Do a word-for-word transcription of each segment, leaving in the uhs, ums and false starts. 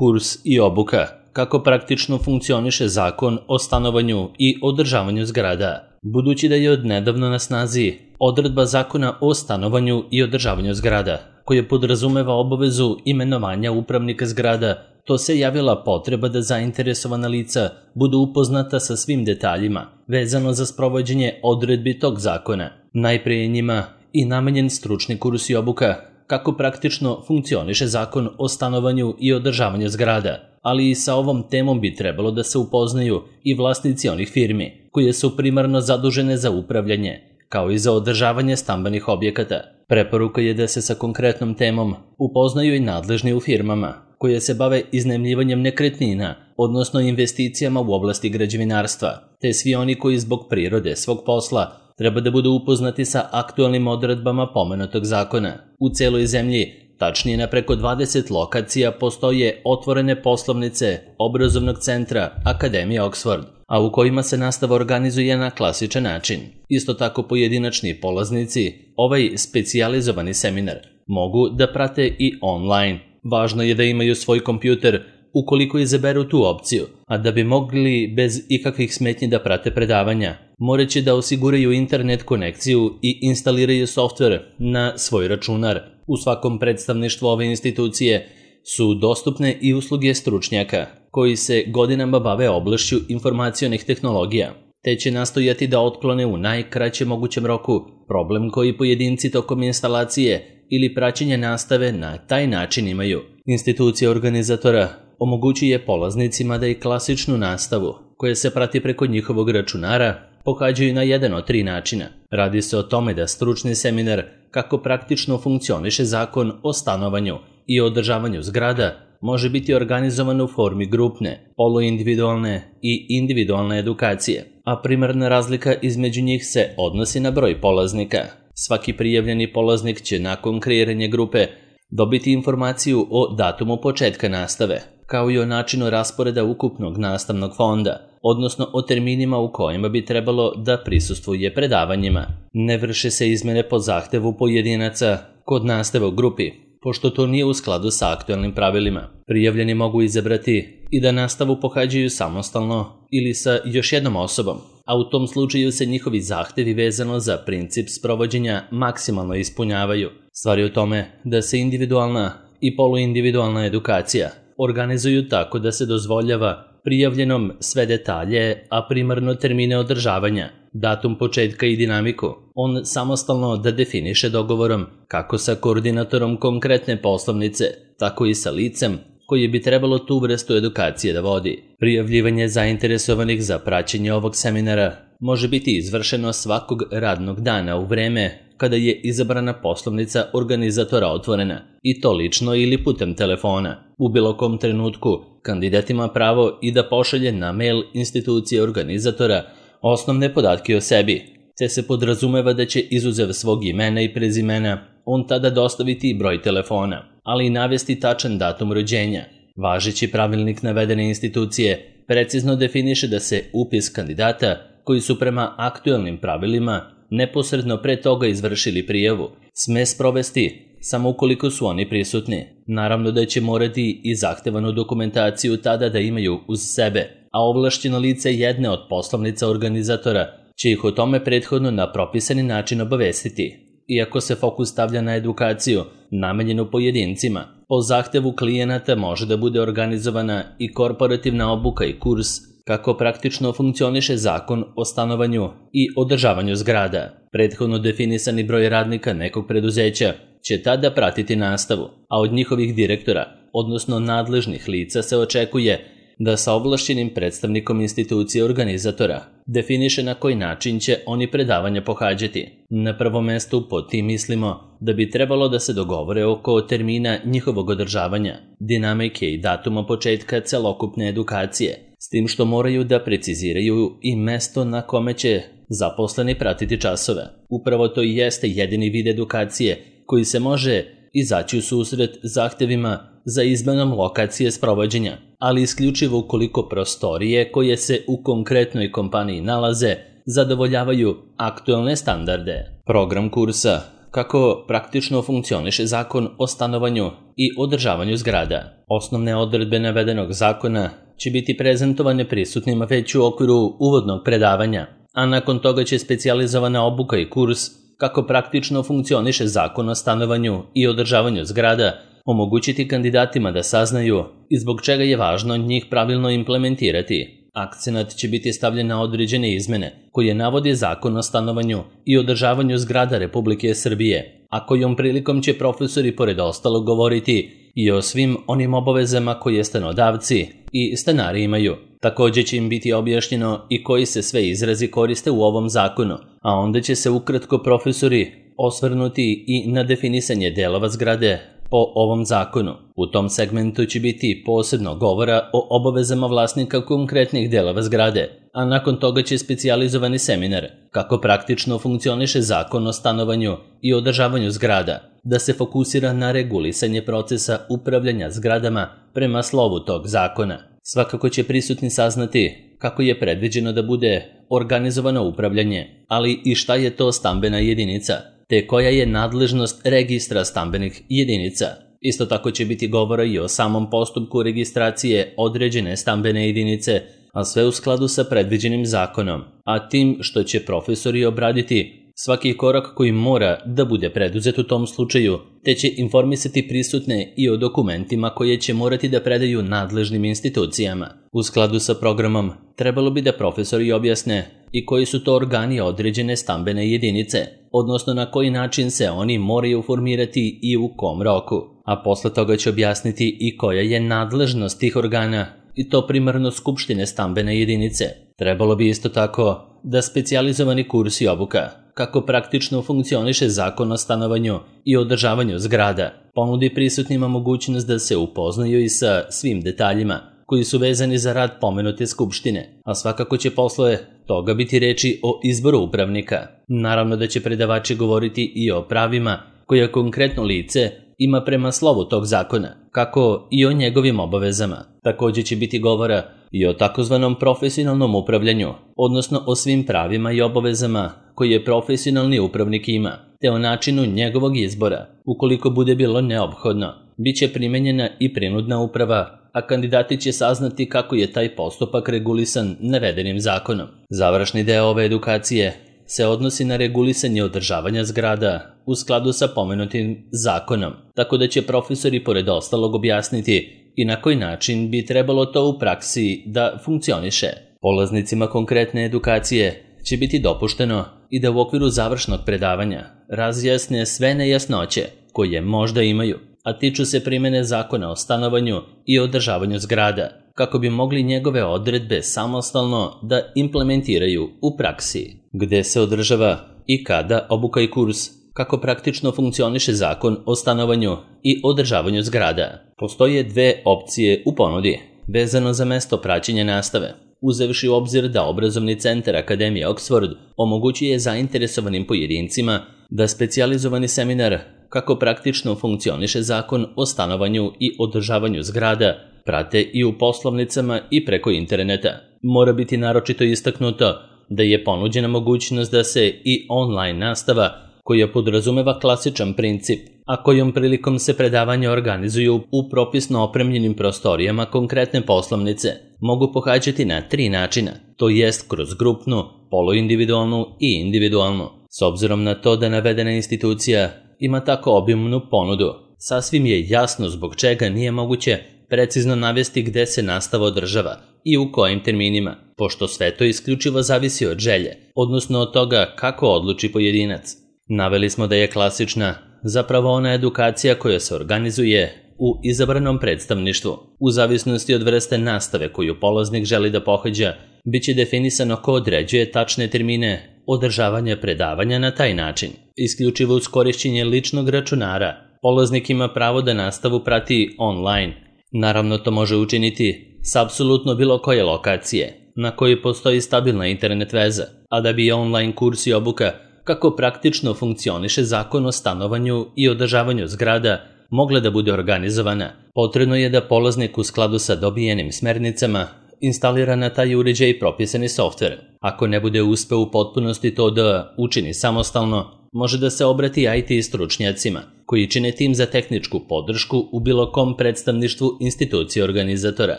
Kurs i obuka. Kako praktično funkcioniše Zakon o stanovanju i održavanju zgrada. Budući da je odnedavno na snazi odredba Zakona o stanovanju i održavanju zgrada, koja podrazumeva obavezu imenovanja upravnika zgrada, to se javila potreba da zainteresovana lica budu upoznata sa svim detaljima vezano za sprovođenje odredbi tog zakona. Najpre je njima i namenjen stručni kurs i obuka kako praktično funkcioniše Zakon o stanovanju i održavanju zgrada, ali i sa ovom temom bi trebalo da se upoznaju i vlasnici onih firmi koje su primarno zadužene za upravljanje, kao i za održavanje stambenih objekata. Preporuka je da se sa konkretnom temom upoznaju i nadležni u firmama koje se bave iznajmljivanjem nekretnina, odnosno investicijama u oblasti građevinarstva, te svi oni koji zbog prirode svog posla treba da budu upoznati sa aktualnim odredbama pomenutog zakona. U celoj zemlji, tačnije na preko dvadeset lokacija, postoje otvorene poslovnice obrazovnog centra Akademije Oxford, a u kojima se nastava organizuje na klasičan način. Isto tako pojedinačni polaznici ovaj specijalizovani seminar mogu da prate i online. Važno je da imaju svoj kompjuter ukoliko izaberu tu opciju, a da bi mogli bez ikakvih smetnji da prate predavanja, moraće da osiguraju internet konekciju i instaliraju softver na svoj računar. U svakom predstavništvu ove institucije su dostupne i usluge stručnjaka koji se godinama bave oblašću informacionih tehnologija, te će nastojati da otklone u najkraćem mogućem roku problem koji pojedinci tokom instalacije ili praćenja nastave na taj način imaju. Institucija organizatora omogućuje polaznicima da i klasičnu nastavu, koja se prati preko njihovog računara, pohađaju na jedan od tri načina. Radi se o tome da stručni seminar kako praktično funkcioniše Zakon o stanovanju i održavanju zgrada može biti organizovan u formi grupne, poluindividualne i individualne edukacije, a primarna razlika između njih se odnosi na broj polaznika. Svaki prijavljeni polaznik će nakon kreiranja grupe dobiti informaciju o datumu početka nastave, kao i o načinu rasporeda ukupnog nastavnog fonda, odnosno o terminima u kojima bi trebalo da prisustvuje predavanjima. Ne vrše se izmene po zahtevu pojedinaca kod nastave u grupi, pošto to nije u skladu sa aktualnim pravilima. Prijavljeni mogu izabrati i da nastavu pohađaju samostalno ili sa još jednom osobom, a u tom slučaju se njihovi zahtevi vezano za princip sprovođenja maksimalno ispunjavaju. Stvar je u tome da se individualna i poluindividualna edukacija organizuju tako da se dozvoljava prijavljenom sve detalje, a primarno termine održavanja, datum početka i dinamiku. On samostalno da definiše dogovorom kako sa koordinatorom konkretne poslovnice, tako i sa licem koje bi trebalo tu vrstu edukacije da vodi. Prijavljivanje zainteresovanih za praćenje ovog seminara može biti izvršeno svakog radnog dana u vreme kada je izabrana poslovnica organizatora otvorena, i to lično ili putem telefona. U bilo kom trenutku kandidat ima pravo i da pošalje na mail institucije organizatora osnovne podatke o sebi, te se podrazumeva da će izuzev svog imena i prezimena on tada dostaviti i broj telefona, ali i navesti tačan datum rođenja. Važeći pravilnik navedene institucije precizno definiše da se upis kandidata koji su prema aktualnim pravilima neposredno pre toga izvršili prijavu sme sprovesti samo ukoliko su oni prisutni. Naravno da će morati i zahtevanu dokumentaciju tada da imaju uz sebe, a ovlašćeno lice jedne od poslovnica organizatora će ih o tome prethodno na propisani način obavestiti. Iako se fokus stavlja na edukaciju namenjenu pojedincima, po zahtevu klijenata može da bude organizovana i korporativna obuka i kurs kako praktično funkcioniše Zakon o stanovanju i održavanju zgrada. Prethodno definisani broj radnika nekog preduzeća će tada pratiti nastavu, a od njihovih direktora, odnosno nadležnih lica, se očekuje da sa ovlašćenim predstavnikom institucije organizatora definiše na koji način će oni predavanja pohađati. Na prvom mestu pod tim mislimo da bi trebalo da se dogovore oko termina njihovog održavanja, dinamike i datuma početka celokupne edukacije, s tim što moraju da preciziraju i mesto na kome će zaposleni pratiti časove. Upravo to i jeste jedini vid edukacije koji se može izaći u susret zahtevima za izmenom lokacije sprovođenja, ali isključivo ukoliko prostorije koje se u konkretnoj kompaniji nalaze zadovoljavaju aktualne standarde. Program kursa kako praktično funkcioniše Zakon o stanovanju i održavanju zgrada. Osnovne odredbe navedenog zakona će biti prezentovane prisutnima već u okviru uvodnog predavanja, a nakon toga će specijalizovana obuka i kurs kako praktično funkcioniše Zakon o stanovanju i održavanju zgrada omogućiti kandidatima da saznaju i zbog čega je važno njih pravilno implementirati. Akcenat će biti stavljen na određene izmene koje navodi Zakon o stanovanju i održavanju zgrada Republike Srbije, a kojom prilikom će profesori pored ostalog govoriti i o svim onim obavezama koje stanodavci i stanari imaju. Također će im biti objašnjeno i koji se sve izrazi koriste u ovom zakonu, a onda će se ukratko profesori osvrnuti i na definisanje delova zgrade po ovom zakonu. U tom segmentu će biti posebno govora o obavezama vlasnika konkretnih delova zgrade, a nakon toga će specijalizovani seminar kako praktično funkcioniše Zakon o stanovanju i održavanju zgrada, da se fokusira na regulisanje procesa upravljanja zgradama prema slovu tog zakona. Svakako će prisutni saznati kako je predviđeno da bude organizovano upravljanje, ali i šta je to stambena jedinica, te koja je nadležnost registra stambenih jedinica. Isto tako će biti govora i o samom postupku registracije određene stambene jedinice, a sve u skladu sa predviđenim zakonom, a tim što će profesori obraditi svaki korak koji mora da bude preduzet u tom slučaju, te će informisati prisutne i o dokumentima koje će morati da predaju nadležnim institucijama. U skladu sa programom, trebalo bi da profesori objasne i koji su to organi određene stambene jedinice, odnosno na koji način se oni moraju formirati i u kom roku, a posle toga će objasniti i koja je nadležnost tih organa, i to primarno skupštine stambene jedinice. Trebalo bi isto tako da specijalizovani kurs i obuka kako praktično funkcioniše Zakon o stanovanju i održavanju zgrada ponudi prisutnima mogućnost da se upoznaju i sa svim detaljima koji su vezani za rad pomenute skupštine, a svakako će posle toga biti reči o izboru upravnika. Naravno da će predavači govoriti i o pravima koja konkretno lice ima prema slovu tog zakona, kako i o njegovim obavezama. Također će biti govora i o takozvanom profesionalnom upravljanju, odnosno o svim pravima i obavezama koje profesionalni upravnik ima, te o načinu njegovog izbora. Ukoliko bude bilo neophodno, bit će primenjena i prinudna uprava, a kandidati će saznati kako je taj postupak regulisan navedenim zakonom. Završni deo ove edukacije se odnosi na regulisanje održavanja zgrada u skladu sa pomenutim zakonom, tako da će profesori pored ostalog objasniti i na koji način bi trebalo to u praksi da funkcioniše. Polaznicima konkretne edukacije će biti dopušteno i da u okviru završnog predavanja razjasne sve nejasnoće koje možda imaju, a tiču se primjene Zakona o stanovanju i održavanju zgrada, kako bi mogli njegove odredbe samostalno da implementiraju u praksi. Gde se održava i kada obuka i kurs, kako praktično funkcioniše Zakon o stanovanju i održavanju zgrada. Postoje dve opcije u ponudi, vezano za mesto praćenja nastave, uzevši u obzir da obrazovni centar Akademije Oxford omogućuje zainteresovanim pojedincima da specijalizovani seminar kako praktično funkcioniše Zakon o stanovanju i održavanju zgrada prate i u poslovnicama i preko interneta. Mora biti naročito istaknuto da je ponuđena mogućnost da se i online nastava, koja podrazumeva klasičan princip, a kojom prilikom se predavanja organizuju u propisno opremljenim prostorijama konkretne poslovnice, mogu pohađati na tri načina, to jest kroz grupnu, poluindividualnu i individualnu. S obzirom na to da navedena institucija ima tako obimnu ponudu, sasvim je jasno zbog čega nije moguće precizno navesti gde se nastava održava i u kojim terminima, pošto sve to isključivo zavisi od želje, odnosno od toga kako odluči pojedinac. Naveli smo da je klasična zapravo ona edukacija koja se organizuje u izabranom predstavništvu. U zavisnosti od vrste nastave koju polaznik želi da pohađa, bit će definisano ko određuje tačne termine održavanja predavanja na taj način. Isključivo uz korišćenje ličnog računara, polaznik ima pravo da nastavu prati online. Naravno, to može učiniti s apsolutno bilo koje lokacije na kojoj postoji stabilna internet veza, a da bi online kurs i obuka kako praktično funkcioniše Zakon o stanovanju i održavanju zgrada mogla da bude organizovana, potrebno je da polaznik u skladu sa dobijenim smernicama instalira na taj uređaj propisani softver. Ako ne bude uspeo u potpunosti to da učini samostalno, može da se obrati I T stručnjacima, koji čine tim za tehničku podršku u bilo kom predstavništvu institucije organizatora.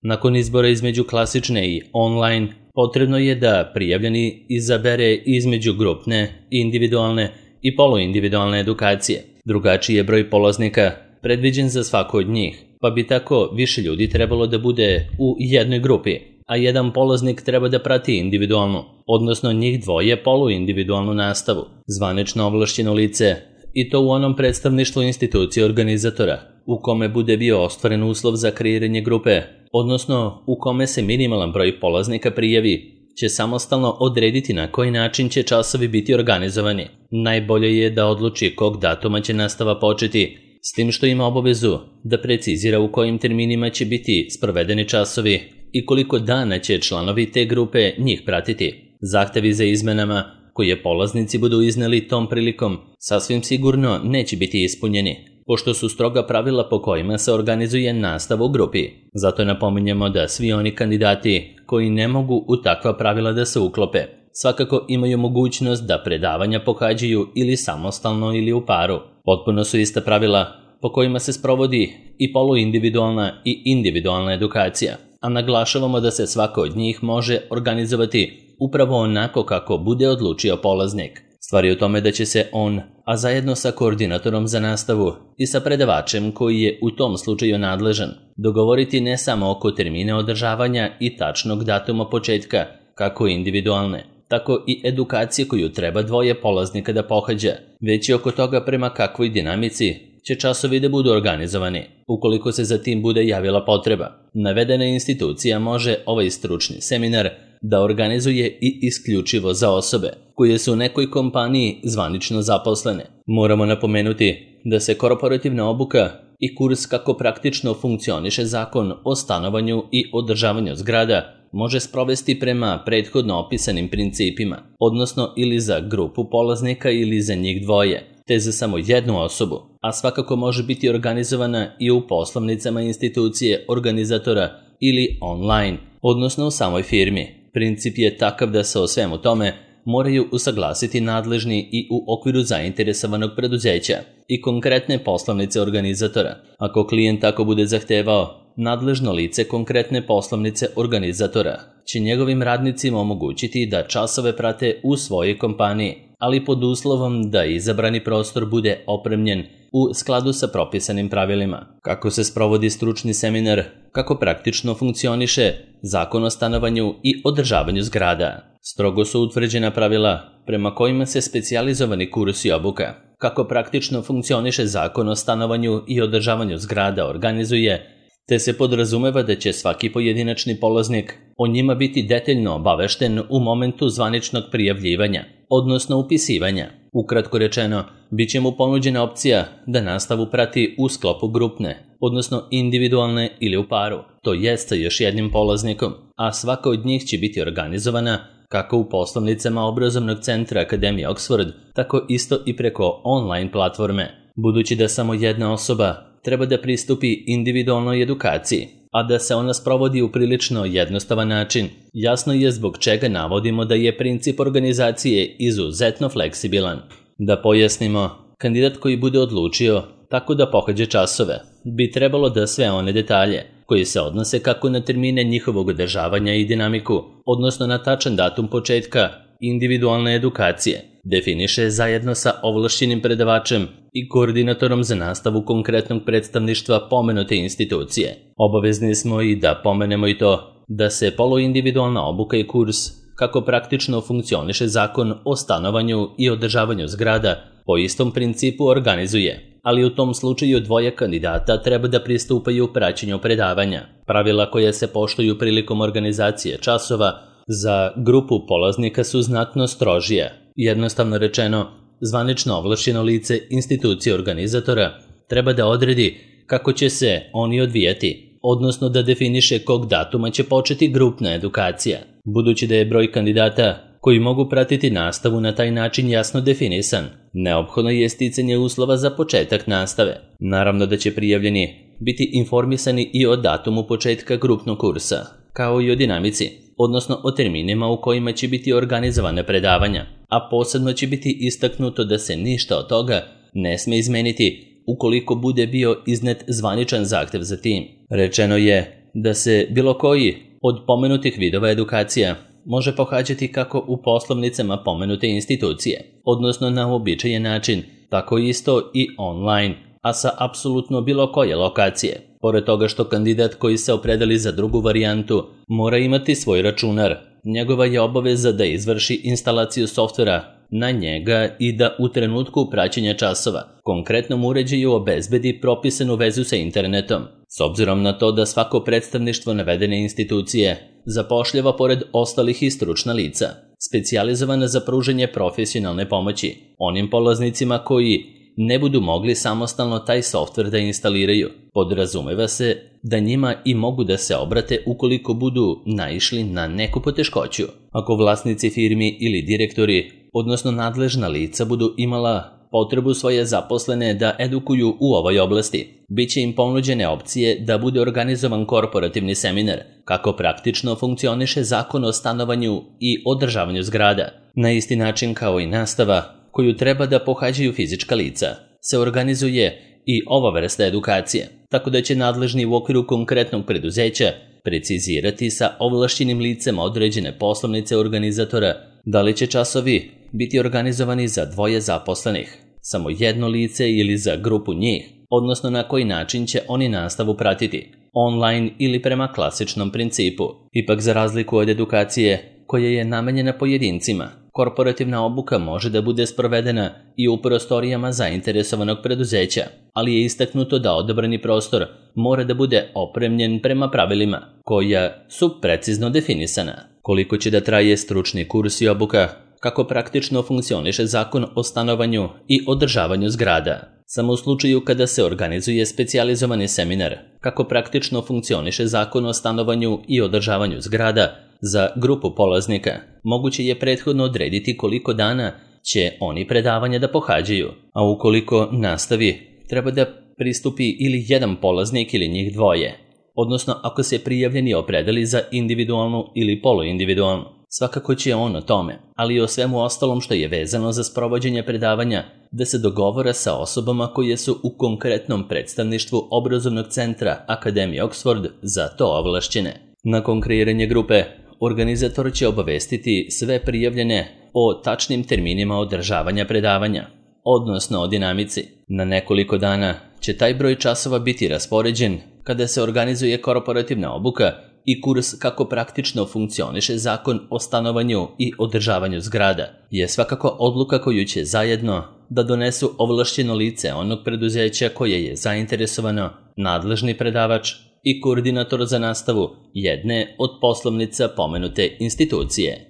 Nakon izbora između klasične i online, potrebno je da prijavljeni izabere između grupne, individualne i poluindividualne edukacije. Drugačiji je broj polaznika predviđen za svaku od njih, pa bi tako više ljudi trebalo da bude u jednoj grupi, a jedan polaznik treba da prati individualnu, odnosno njih dvoje poluindividualnu nastavu. Zvanično ovlašćeno lice, i to u onom predstavništvu institucije organizatora, u kome bude bio ostvaren uslov za kreiranje grupe, odnosno u kome se minimalan broj polaznika prijavi, će samostalno odrediti na koji način će časovi biti organizovani. Najbolje je da odluči kog datuma će nastava početi, s tim što ima obavezu da precizira u kojim terminima će biti sprovedeni časovi i koliko dana će članovi te grupe njih pratiti. Zahtevi za izmenama koje polaznici budu izneli tom prilikom sasvim sigurno neće biti ispunjeni, pošto su stroga pravila po kojima se organizuje nastava u grupi. Zato napominjemo da svi oni kandidati koji ne mogu u takva pravila da se uklope, svakako imaju mogućnost da predavanja pohađaju ili samostalno ili u paru. Potpuno su ista pravila po kojima se sprovodi i poluindividualna i individualna edukacija, a naglašavamo da se svaka od njih može organizovati upravo onako kako bude odlučio polaznik. Stvar je u tome da će se on, a zajedno sa koordinatorom za nastavu i sa predavačem koji je u tom slučaju nadležan, dogovoriti ne samo oko termina održavanja i tačnog datuma početka, kako individualne, tako i edukacije koju treba dvoje polaznika da pohađa, već i oko toga prema kakvoj dinamici će časovi da budu organizovani, ukoliko se za tim bude javila potreba. Navedena institucija može ovaj stručni seminar da organizuje i isključivo za osobe koje su u nekoj kompaniji zvanično zaposlene. Moramo napomenuti da se korporativna obuka i kurs kako praktično funkcioniše zakon o stanovanju i održavanju zgrada može sprovesti prema prethodno opisanim principima, odnosno ili za grupu polaznika ili za njih dvoje, te za samo jednu osobu, a svakako može biti organizovana i u poslovnicama institucije organizatora ili online, odnosno u samoj firmi. Princip je takav da se o svemu tome moraju usaglasiti nadležni i u okviru zainteresovanog preduzeća i konkretne poslovnice organizatora. Ako klijent tako bude zahtevao, nadležno lice konkretne poslovnice organizatora će njegovim radnicima omogućiti da časove prate u svojoj kompaniji, ali pod uslovom da izabrani prostor bude opremljen u skladu sa propisanim pravilima. Kako se sprovodi stručni seminar, kako praktično funkcioniše zakon o stanovanju i održavanju zgrada. Strogo su utvrđena pravila prema kojima se specijalizovani kursi i obuka, kako praktično funkcioniše zakon o stanovanju i održavanju zgrada organizuje, te se podrazumeva da će svaki pojedinačni polaznik o njima biti detaljno obavešten u momentu zvaničnog prijavljivanja, odnosno upisivanja. Ukratko rečeno, bit će mu ponuđena opcija da nastavu prati u sklopu grupne, odnosno individualne ili u paru, to jest sa još jednim polaznikom, a svaka od njih će biti organizovana kako u poslovnicama obrazovnog centra Akademije Oxford, tako isto i preko online platforme. Budući da samo jedna osoba treba da pristupi individualnoj edukaciji, a da se ona sprovodi u prilično jednostavan način, jasno je zbog čega navodimo da je princip organizacije izuzetno fleksibilan. Da pojasnimo, kandidat koji bude odlučio tako da pohađa časove, bi trebalo da sve one detalje koji se odnose kako na termine njihovog održavanja i dinamiku, odnosno na tačan datum početka individualne edukacije, definiše zajedno sa ovlašćenim predavačem i koordinatorom za nastavu konkretnog predstavništva pomenute institucije. Obavezni smo i da pomenemo i to da se poluindividualna obuka i kurs kako praktično funkcioniše zakon o stanovanju i održavanju zgrada po istom principu organizuje, ali u tom slučaju dvoje kandidata treba da pristupaju praćenju predavanja. Pravila koje se poštuju prilikom organizacije časova za grupu polaznika su znatno strožije. Jednostavno rečeno, zvanično ovlašćeno lice institucije organizatora treba da odredi kako će se oni odvijati, odnosno da definiše kog datuma će početi grupna edukacija. Budući da je broj kandidata koji mogu pratiti nastavu na taj način jasno definisan, neophodno je sticanje uslova za početak nastave. Naravno da će prijavljeni biti informisani i o datumu početka grupnog kursa, kao i o dinamici, odnosno o terminima u kojima će biti organizovane predavanja, a posebno će biti istaknuto da se ništa od toga ne sme izmeniti ukoliko bude bio iznet zvaničan zahtev za tim. Rečeno je da se bilo koji od pomenutih vidova edukacija može pohađati kako u poslovnicama pomenute institucije, odnosno na uobičajen način, tako isto i online, a sa apsolutno bilo koje lokacije. Pored toga što kandidat koji se opredeli za drugu varijantu mora imati svoj računar, njegova je obaveza da izvrši instalaciju softvera na njega i da u trenutku praćenja časova konkretnom uređaju obezbedi propisanu vezu sa internetom. S obzirom na to da svako predstavništvo navedene institucije zapošljava pored ostalih i stručna lica, specijalizovana za pružanje profesionalne pomoći onim polaznicima koji ne budu mogli samostalno taj softver da instaliraju. Podrazumeva se da njima i mogu da se obrate ukoliko budu naišli na neku poteškoću. Ako vlasnici firmi ili direktori, odnosno nadležna lica budu imala potrebu svoje zaposlene da edukuju u ovoj oblasti, bit će im ponuđene opcije da bude organizovan korporativni seminar kako praktično funkcioniše Zakon o stanovanju i održavanju zgrada. Na isti način kao i nastava koju treba da pohađaju fizička lica, se organizuje i ova vrsta edukacije, tako da će nadležni u okviru konkretnog preduzeća precizirati sa ovlašćenim licem određene poslovnice organizatora da li će časovi biti organizovani za dvoje zaposlenih, samo jedno lice ili za grupu njih, odnosno na koji način će oni nastavu pratiti, online ili prema klasičnom principu. Ipak za razliku od edukacije koja je namenjena pojedincima, korporativna obuka može da bude sprovedena i u prostorijama zainteresovanog preduzeća, ali je istaknuto da odabrani prostor mora da bude opremljen prema pravilima koja su precizno definisana. Koliko će da traje stručni kurs i obuka, kako praktično funkcioniše Zakon o stanovanju i održavanju zgrada. Samo u slučaju kada se organizuje specijalizovani seminar, kako praktično funkcioniše Zakon o stanovanju i održavanju zgrada, za grupu polaznika moguće je prethodno odrediti koliko dana će oni predavanja da pohađaju, a ukoliko nastavi treba da pristupi ili jedan polaznik ili njih dvoje, odnosno ako se prijavljeni opredeli za individualnu ili poluindividualnu. Svakako će on o tome, ali i o svemu ostalom što je vezano za sprovođenje predavanja, da se dogovora sa osobama koje su u konkretnom predstavništvu obrazovnog centra Akademije Oxford za to ovlašćene. Nakon kreiranja grupe, organizator će obavestiti sve prijavljene o tačnim terminima održavanja predavanja, odnosno o dinamici. Na nekoliko dana će taj broj časova biti raspoređen kada se organizuje korporativna obuka i kurs kako praktično funkcioniše Zakon o stanovanju i održavanju zgrada je svakako odluka koju će zajedno da donesu ovlašćeno lice onog preduzeća koje je zainteresovano, nadležni predavač i koordinator za nastavu jedne od poslovnica pomenute institucije.